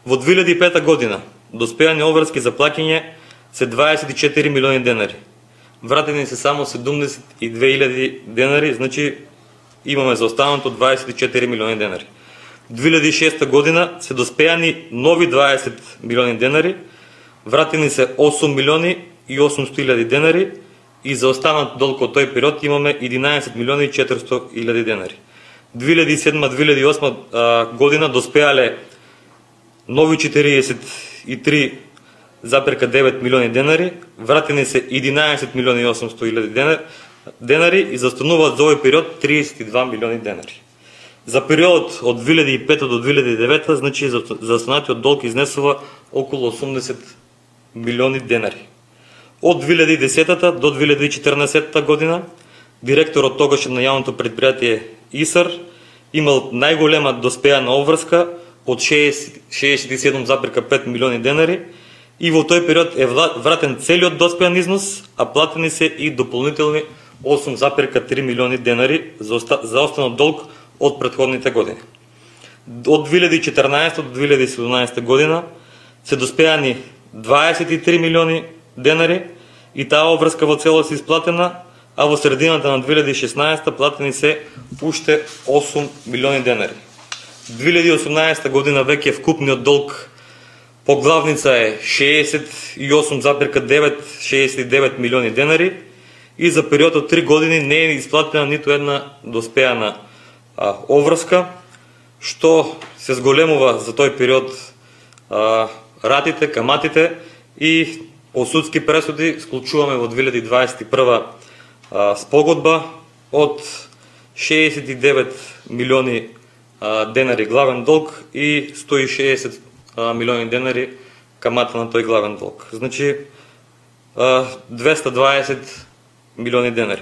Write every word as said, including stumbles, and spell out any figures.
Во две илјади и пета година доспеани обврски за плаќање се дваесет и четири милиони денари. Вратени се само седумдесет и две илјади денари, значи имаме за останато дваесет и четири милиони денари. две илјади и шеста година се доспеани нови дваесет милиони денари, вратени се осум милиони и осумстотини илјади денари и за останат долг од тој период имаме единаесет милиони и четиристотини илјади денари. две илјади и седма две илјади и осма година доспеале нови четириесет и три запирка девет милиони денари, вратени се единаесет милиони и осумстотини илјади денари и застануваат за овој период триесет и два милиони денари. За периодот од две илјади и пета до две илјади и девета, значи застанатиот долг изнесува околу осумдесет милиони денари. Од две илјади и десета до две илјади и четрнаесетта година директорот тогаш на јавното предпријатие ИСАР имал најголема доспеана обврска од шеесет и седум запирка пет милиони денари и во тој период е вратен целиот доспеан износ, а платени се и дополнителни осум запирка три милиони денари за останат долг од претходните години. Од две илјади и четрнаесета до две илјади и седумнаесета година се доспеани дваесет и три милиони денари и таа обврска во целост исплатена, а во средината на две илјади и шеснаесета платени се уште осум милиони денари. две илјади и осумнаесета година веќе вкупниот долг по главница е шеесет и осум запирка девет милиони денари и за период од три години не е исплатена ниту една доспеана а, обврска, што се зголемува за тој период а, ратите, каматите и по судски пресуди склучуваме во две илјади дваесет и прва а, спогодба од шеесет и девет милиони а, денари главен долг и сто и шеесет а, милиони денари камата на тој главен долг. Значи а, двеста дваесет милиони денари.